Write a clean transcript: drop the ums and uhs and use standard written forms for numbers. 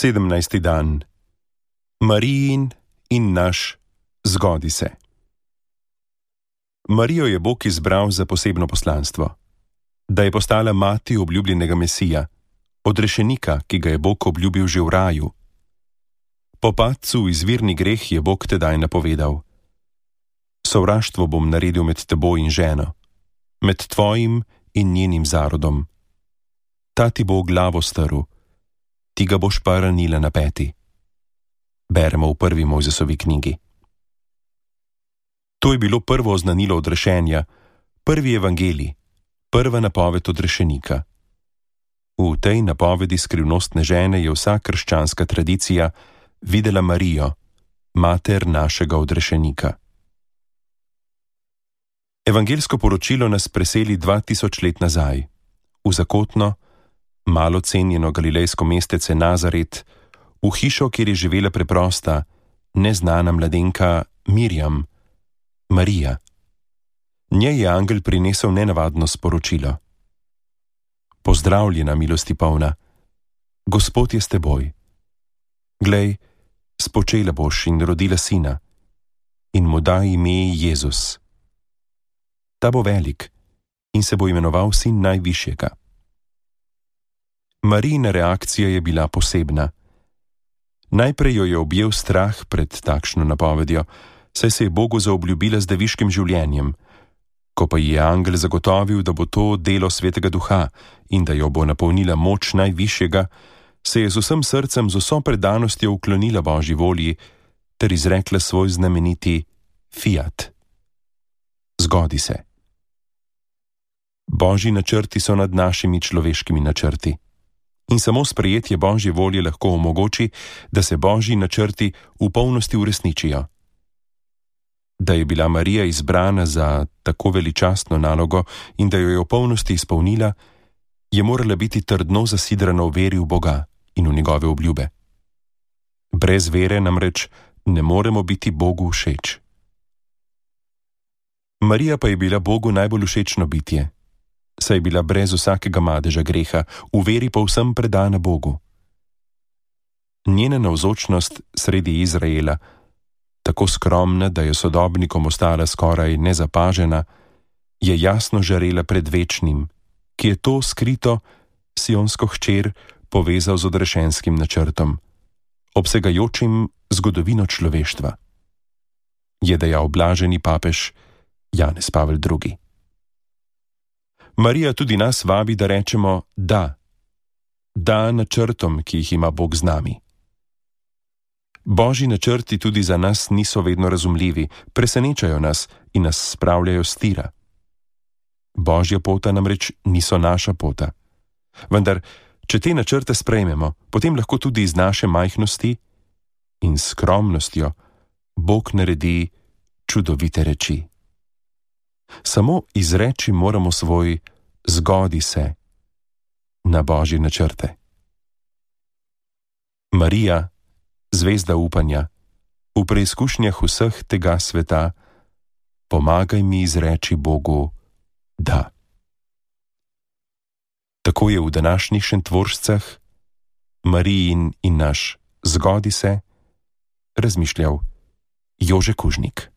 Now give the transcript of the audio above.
17. dan. Marijin in naš zgodi se. Marijo je Bog izbral za posebno poslanstvo, da je postala mati obljubljenega Mesija, odrešenika, ki ga je Bog obljubil že v raju. Po padcu v izvirni greh je Bog tedaj napovedal: sovraštvo bom naredil med teboj in ženo, med tvojim in njenim zarodom. Ta ti bo glavo strl, ti ga boš pa ranila na peti. Beremo v prvi Mojzesovi knjigi. To je bilo prvo oznanilo odrešenja, prvi evangelij, prva napoved odrešenika. V tej napovedi skrivnostne žene je vsa krščanska tradicija videla Marijo, mater našega odrešenika. Evangeljsko poročilo nas preseli 2000 let nazaj, v zakotno, malo cenjeno galilejsko mestece Nazaret, v hišo, kjer je živela preprosta, neznana mladenka Mirjam, Marija. Njej je angel prinesel nenavadno sporočilo: pozdravljena, milosti polna, Gospod je s teboj. Glej, spočela boš in rodila sina, in mu daj ime Jezus. Ta bo velik in se bo imenoval sin najvišjega. Marijina reakcija je bila posebna. Najprej jo je objel strah pred takšno napovedjo, saj se je Bogu zaobljubila z deviškim življenjem. Ko pa ji je angel zagotovil, da bo to delo Svetega Duha in da jo bo napolnila moč najvišjega, se je z vsem srcem, z vso predanostjo uklonila Božji volji ter izrekla svoj znameniti fiat. Zgodi se. Božji načrti so nad našimi človeškimi načrti. In samo sprejetje Božje volje lahko omogoči, da se Božji načrti v polnosti uresničijo. Da je bila Marija izbrana za tako veličastno nalogo in da jo je v polnosti izpolnila, je morala biti trdno zasidrana v veri v Boga in v njegove obljube. Brez vere namreč ne moremo biti Bogu všeč. Marija pa je bila Bogu najbolj všečno bitje, saj je bila brez vsakega madeža greha, v veri povsem predana Bogu. Njena navzočnost sredi Izraela, tako skromna, da je sodobnikom ostala skoraj nezapažena, je jasno žarela pred večnim, ki je to skrito sionsko hčer povezal z odrešenskim načrtom, obsegajočim zgodovino človeštva. Je dejal blaženi papež Janez Pavel II. Marija tudi nas vabi, da rečemo da. Da načrtom, ki jih ima Bog z nami. Božji načrti tudi za nas niso vedno razumljivi, presenečajo nas in nas spravljajo s tira. Božja pota namreč niso naša pota. Vendar, če te načrte sprejmemo, potem lahko tudi iz naše majhnosti in skromnostjo Bog naredi čudovite reči. Samo izreči moramo svoj zgodi se na Božje načrte. Marija, zvezda upanja, v preizkušnjah vseh tega sveta, pomagaj mi izreči Bogu da. Tako je v današnjih Šentvoržcah, Marijin in naš zgodi se, razmišljal Jože Kužnik.